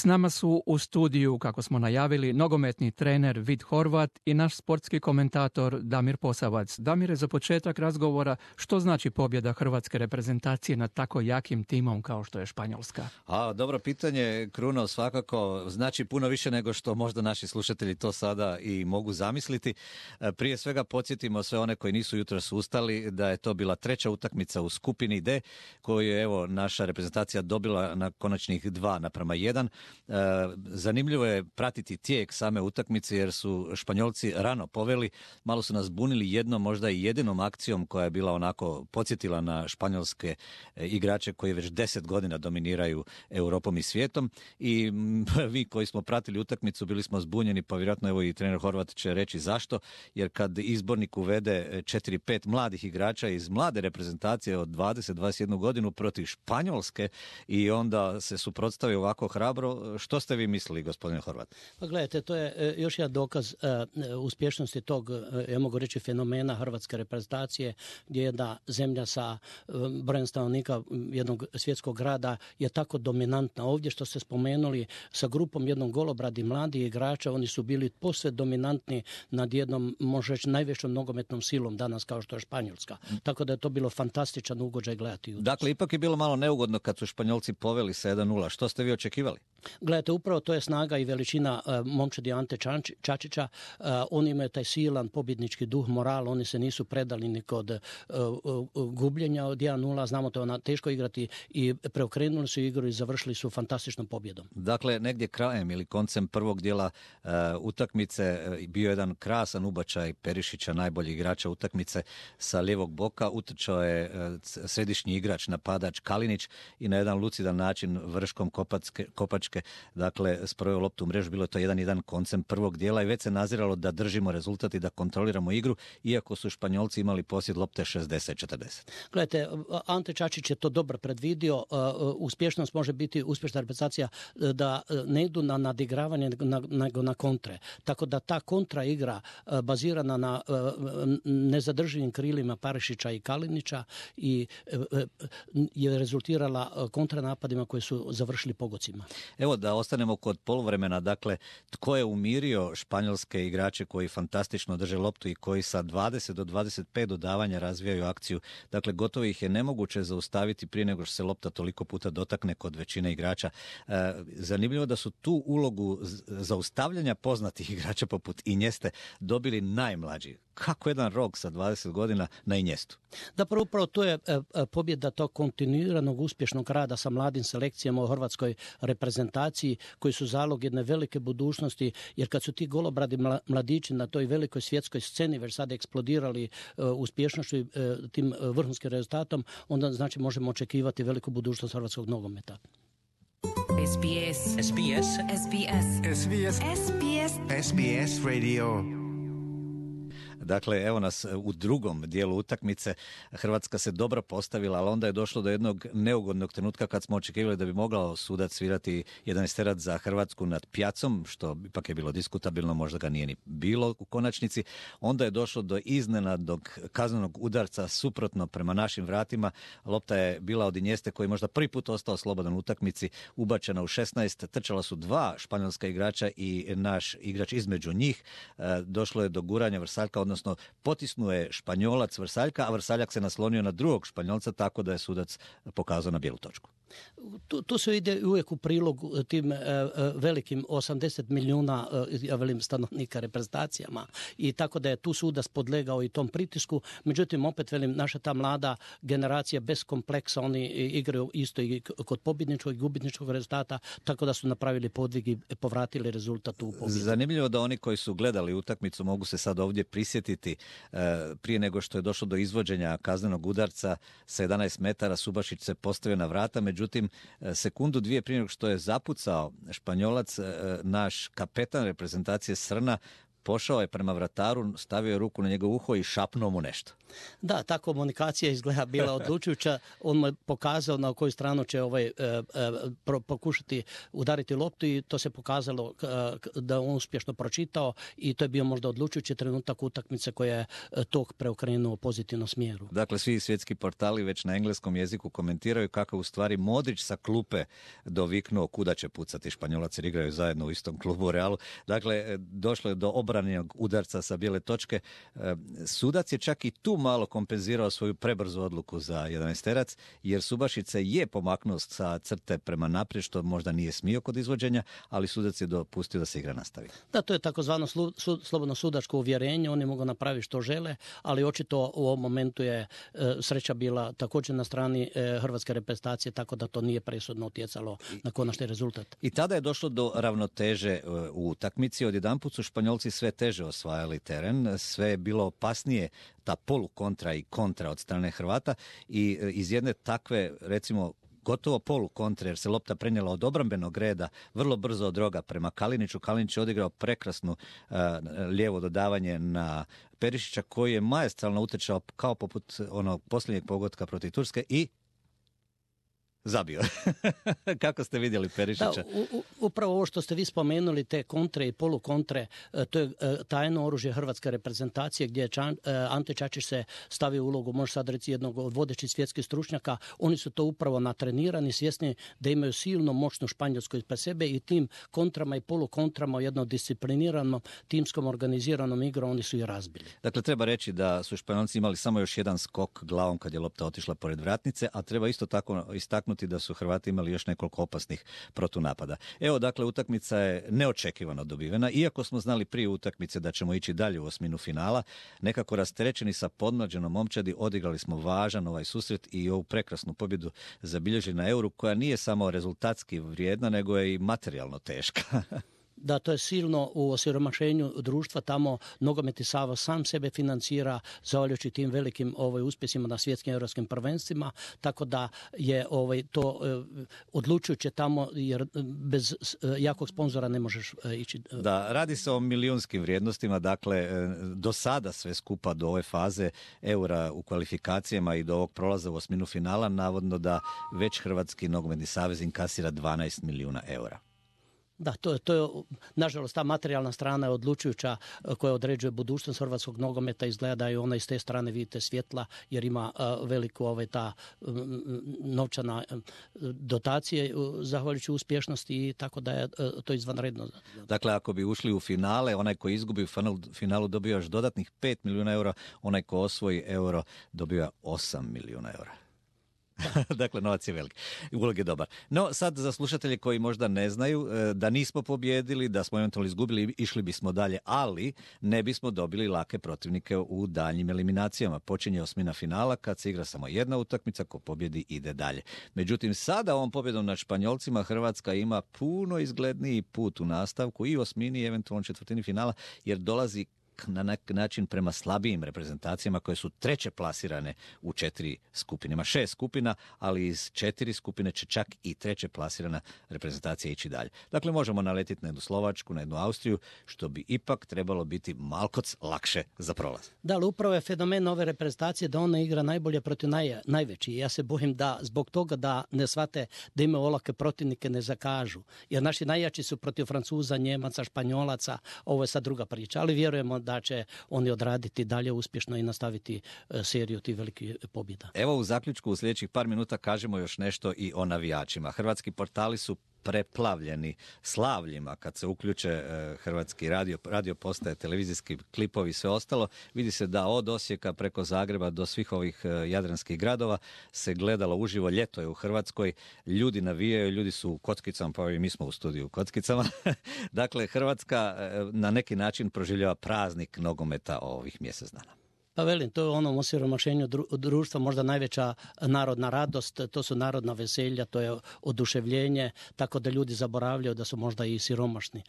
S nama su u studiju, kako smo najavili, nogometni trener Vid Horvat i naš sportski komentator Damir Posavac. Damire, za početak razgovora, što znači pobjeda hrvatske reprezentacije nad tako jakim timom kao što je Španjolska? Dobro pitanje, Kruno, svakako znači puno više nego što možda naši slušatelji to sada i mogu zamisliti. Prije svega podsjetimo sve one koji nisu jutros ustali da je to bila treća utakmica u skupini D koju je naša reprezentacija dobila na konačnih 2:1. Zanimljivo je pratiti tijek same utakmice jer su Španjolci rano poveli, malo su nas bunili jednom, možda i jedinom akcijom koja je bila onako podsjetila na španjolske igrače koji već 10 godina dominiraju Europom i svijetom i vi koji smo pratili utakmicu bili smo zbunjeni, pa vjerojatno evo i trener Horvat će reći zašto, jer kad izbornik uvede 4-5 mladih igrača iz mlade reprezentacije od 20-21 godinu protiv Španjolske i onda se suprotstavi ovako hrabro, što ste vi mislili, gospodine Horvat? Pa gledajte, to je još jedan dokaz uspješnosti tog, ja mogu reći, fenomena hrvatske reprezentacije, gdje jedna zemlja sa brojem stanovnika jednog svjetskog grada je tako dominantna. Ovdje što ste spomenuli sa grupom jednom golobradi mladih igrača, oni su bili posve dominantni nad jednom, može reći, najvećom nogometnom silom danas kao što je Španjolska. Tako da je to bilo fantastičan ugođaj gledati. Dakle, ipak je bilo malo neugodno kad su Španjolci poveli sa 1:0. Što ste vi očekivali? Gledajte, upravo to je snaga i veličina momčadi Ante Čačića. Oni imaju taj silan pobjednički duh, moral, oni se nisu predali ni kod gubljenja od 1:0, znamo to je teško igrati i preokrenuli su igru i završili su fantastičnom pobjedom. Dakle, negdje krajem ili koncem prvog dijela utakmice bio jedan krasan ubačaj Perišića, najbolji igrača utakmice, sa lijevog boka utrčao je središnji igrač, napadač Kalinić i na jedan lucidan način vrškom kopačke, dakle, sproveo loptu u mrežu. Bilo je to 1:1 koncem prvog dijela i već se naziralo da držimo rezultat i da kontroliramo igru, iako su Španjolci imali posjed lopte 60-40. Gledajte, Ante Čačić je to dobro predvidio. Uspješnost može biti uspješna reprezentacija da ne idu na nadigravanje nego na kontre. Tako da ta kontra igra bazirana na nezadrživim krilima Perišića i Kalinića i je rezultirala kontranapadima koji su završili pogocima. Evo da ostanemo kod poluvremena, dakle, tko je umirio španjolske igrače koji fantastično drže loptu i koji sa 20 do 25 dodavanja razvijaju akciju. Dakle, gotovo ih je nemoguće zaustaviti prije nego što se lopta toliko puta dotakne kod većine igrača. Zanimljivo da su tu ulogu zaustavljanja poznatih igrača poput Injeste dobili najmlađi. Kako jedan rok sa 20 godina na Injestu? Da, upravo to je pobjeda tog kontinuiranog uspješnog rada sa mladim selekcijama u hrvatskoj reprezentaciji koji su zalog jedne velike budućnosti, jer kad su ti golobradi mladići na toj velikoj svjetskoj sceni već sad eksplodirali uspješnošću i tim vrhunskim rezultatom, onda znači možemo očekivati veliku budućnost hrvatskog nogometa. SBS. SBS. SBS. SBS. SBS. SBS Radio. Dakle, evo nas u drugom dijelu utakmice. Hrvatska se dobro postavila, ali onda je došlo do jednog neugodnog trenutka kad smo očekivali da bi mogao sudac svirati 11 za Hrvatsku nad Pjacom, što ipak je bilo diskutabilno, možda ga nije ni bilo u konačnici. Onda je došlo do iznenadnog kaznenog udarca suprotno prema našim vratima. Lopta je bila od Injeste koji je možda prvi put ostao slobodan u utakmici, ubačena u 16. Trčala su dva španjolska igrača i naš igrač između njih. Došlo je do guranja Vrsaljka, odnosno potisnuo je Španjolac Vrsaljka, a Vrsaljak se naslonio na drugog Španjolca, tako da je sudac pokazao na bijelu točku. Tu se ide uvijek u prilog tim velikim 80 milijuna stanovnika reprezentacijama i tako da je tu sudac podlegao i tom pritisku. Međutim, opet naša ta mlada generacija bez kompleksa, oni igraju isto i kod pobjedničkog i gubitničkog rezultata, tako da su napravili podvig i povratili rezultat u pobjedu. Zanimljivo da oni koji su gledali utakmicu mogu se sad ovdje prisjetiti prije nego što je došlo do izvođenja kaznenog udarca sa 11 metara Subašić se postavio na vrata, međutim sekundu dvije prije nego što je zapucao Španjolac, naš kapetan reprezentacije Srna pošao je prema vrataru, stavio je ruku na njegovo uho i šapnuo mu nešto. Da, ta komunikacija izgleda bila odlučujuća. On mu je pokazao na koju stranu će pokušati udariti loptu i to se pokazalo da on uspješno pročitao i to je bio možda odlučujući trenutak utakmice koja je tog preokrenuo u pozitivnom smjeru. Dakle, svi svjetski portali već na engleskom jeziku komentiraju kako u stvari Modrić sa klupe doviknuo kuda će pucati. Španjolac jer igraju zajedno u istom klubu u Realu. Dakle, došlo je do obranjenog udarca sa bijele točke. Sudac je čak i tu malo kompenzirao svoju prebrzu odluku za 11-terac, jer Subašić je pomaknuo sa crte prema naprijed, što možda nije smio kod izvođenja, ali sudac je dopustio da se igra nastavi. Da, to je takozvano slobodno sudačko uvjerenje, oni mogu napraviti što žele, ali očito u ovom momentu je sreća bila također na strani hrvatske reprezentacije, tako da to nije presudno utjecalo na konačni rezultat. I tada je došlo do ravnoteže u utakmici. Odjedanput su Španjolci sve teže osvajali teren, sve je bilo opasnije ta polukontra i kontra od strane Hrvata i iz jedne takve, recimo, gotovo polukontre, jer se lopta prenijela od obrambenog reda vrlo brzo od roga prema Kaliniću. Kalinić je odigrao prekrasnu lijevo dodavanje na Perišića, koji je maestralno utječao kao poput onog posljednjeg pogotka protiv Turske i zabio. Kako ste vidjeli Perišića? Da, upravo ovo što ste vi spomenuli, te kontre i polukontre, to je tajno oružje hrvatske reprezentacije gdje je Ante Čačić se stavio u ulogu, može sad reći, jednog od vodećih svjetskih stručnjaka. Oni su to upravo natrenirani, svjesni da imaju silno moćnu Španjolsku ispred sebe i tim kontrama i polukontrama u jednom discipliniranom, timskom organiziranom igrom oni su i razbili. Dakle, treba reći da su Španjolci imali samo još jedan skok glavom kad je lopta otišla pored vratnice, a treba isto tako istaknuti da su Hrvati imali još nekoliko opasnih protunapada. Evo, dakle, utakmica je neočekivano dobivena, iako smo znali prije utakmice da ćemo ići dalje u osminu finala. Nekako rasterećeni sa podmlađenom momčadi odigrali smo važan ovaj susret i ovu prekrasnu pobjedu zabilježili na Euru, koja nije samo rezultatski vrijedna, nego je i materijalno teška. Da, to je silno u osiromašenju društva, tamo Nogometni savez sam sebe financira zahvaljujući tim velikim uspjesima na svjetskim europskim prvenstvima, tako da je to odlučujuće tamo, jer bez jakog sponzora ne možeš ići. Da, radi se o milijunskim vrijednostima, dakle do sada sve skupa do ove faze Eura u kvalifikacijama i do ovog prolaza u osminu finala, navodno da već Hrvatski nogometni savez inkasira 12 milijuna eura. Da, to je, nažalost, ta materijalna strana je odlučujuća koja određuje budućnost hrvatskog nogometa. Izgleda da je ona iz te strane, vidite, svjetla, jer ima veliku ta novčana dotacije zahvaljujući uspješnosti i tako da je to izvanredno. Dakle, ako bi ušli u finale, onaj koji izgubi u finalu dobija još dodatnih 5 milijuna eura, onaj ko osvoji euro dobija 8 milijuna eura. Dakle, novac je velik. Ulog je dobar. No, sad za slušatelje koji možda ne znaju da nismo pobjedili, da smo eventualno izgubili, išli bismo dalje, ali ne bismo dobili lake protivnike u daljnjim eliminacijama. Počinje osmina finala kad se igra samo jedna utakmica, ko pobjedi ide dalje. Međutim, sada ovom pobjedom nad Španjolcima Hrvatska ima puno izgledniji put u nastavku i osmini i eventualno četvrtini finala, jer dolazi na neki način prema slabijim reprezentacijama koje su treće plasirane u 4 skupine. Ima 6 skupina, ali iz 4 skupine će čak i treće plasirana reprezentacija ići dalje. Dakle, možemo naletiti na jednu Slovačku, na jednu Austriju, što bi ipak trebalo biti malkoc lakše za prolaz. Da, ali upravo je fenomen ove reprezentacije da ona igra najbolje protiv najveći. Ja se bojim da zbog toga da ne shvate da imaju olake protivnike ne zakažu. Jer naši najjači su protiv Francuza, Njemaca, Španjolaca. Ovo je sad druga priča, ali vjerujemo da će oni odraditi dalje uspješno i nastaviti seriju tih velikih pobjeda. Evo, u zaključku u sljedećih par minuta kažemo još nešto i o navijačima. Hrvatski portali su preplavljeni slavljima kad se uključe hrvatski radio postaje, televizijski klipovi i sve ostalo. Vidi se da od Osijeka preko Zagreba do svih ovih jadranskih gradova se gledalo uživo. Ljeto je u Hrvatskoj, ljudi navijaju, ljudi su u kockicama, pa i mi smo u studiju u kockicama. Dakle, Hrvatska na neki način proživljava praznik nogometa ovih mjesec dana. Pa velim, to je onom osiromašenju društva možda najveća narodna radost, to su narodna veselja, to je oduševljenje, tako da ljudi zaboravljaju da su možda i siromašni.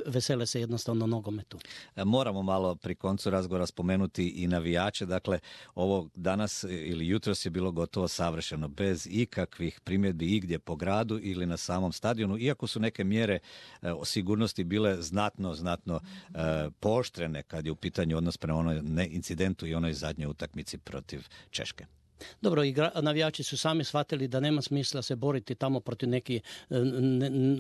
Vesele se jednostavno nogometu. Moramo malo pri koncu razgovora spomenuti i navijače. Dakle, ovo danas ili jutros je bilo gotovo savršeno, bez ikakvih primjedbi igdje po gradu ili na samom stadionu, iako su neke mjere o sigurnosti bile znatno pooštrene kad je u pitanju odnos prema onoj incidentu i onoj zadnjoj utakmici protiv Češke. Dobro, navijači su sami shvatili da nema smisla se boriti tamo protiv nekih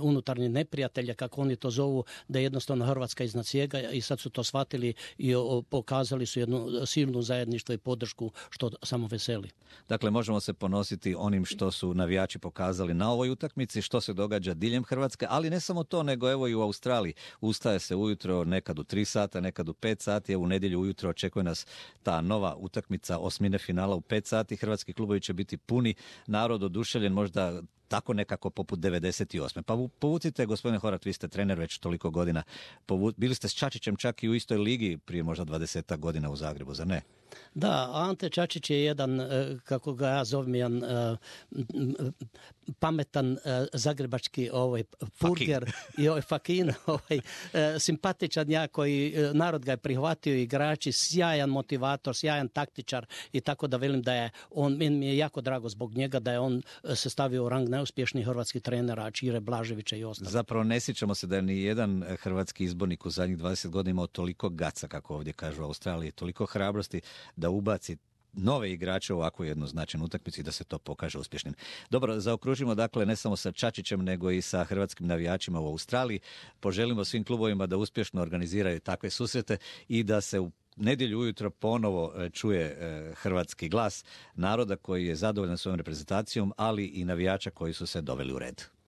unutarnjih neprijatelja, kako oni to zovu, da je jednostavno Hrvatska iznad svega i sad su to shvatili i pokazali su jednu silnu zajedništvo i podršku što samo veseli. Dakle, možemo se ponositi onim što su navijači pokazali na ovoj utakmici, što se događa diljem Hrvatske, ali ne samo to, nego evo i u Australiji. Ustaje se ujutro nekad u 3 sata, nekad u 5 sati, u nedjelju ujutro očekuje nas ta nova utakmica osmine finala u 5 sati. Hrvatski klubovi će biti puni, narod oduševljen, možda tako nekako poput 98. Pa povucite, gospodine Horvat, vi ste trener već toliko godina. Bili ste s Čačićem čak i u istoj ligi prije možda 20 godina u Zagrebu, zar ne? Da, Ante Čačić je jedan, kako ga ja zovem, jedan pametan zagrebački furger i fakin, simpatičan ja koji narod ga je prihvatio, igrači, sjajan motivator, sjajan taktičar i tako da velim da je on, meni je jako drago zbog njega da je on se stavio u rang najuspješnijih hrvatskih trenera, Čire Blaževića i ostalo. Zapravo ne sjećamo se da je ni jedan hrvatski izbornik u zadnjih 20 godina imao toliko gaca, kako ovdje kažu u Australiji, toliko hrabrosti da ubaci nove igrače u ovakvu jednu značajnu utakmicu i da se to pokaže uspješnim. Dobro, zaokružimo dakle ne samo sa Čačićem nego i sa hrvatskim navijačima u Australiji. Poželimo svim klubovima da uspješno organiziraju takve susrete i da se u nedjelju ujutro ponovo čuje hrvatski glas naroda koji je zadovoljan svojom reprezentacijom, ali i navijača koji su se doveli u red.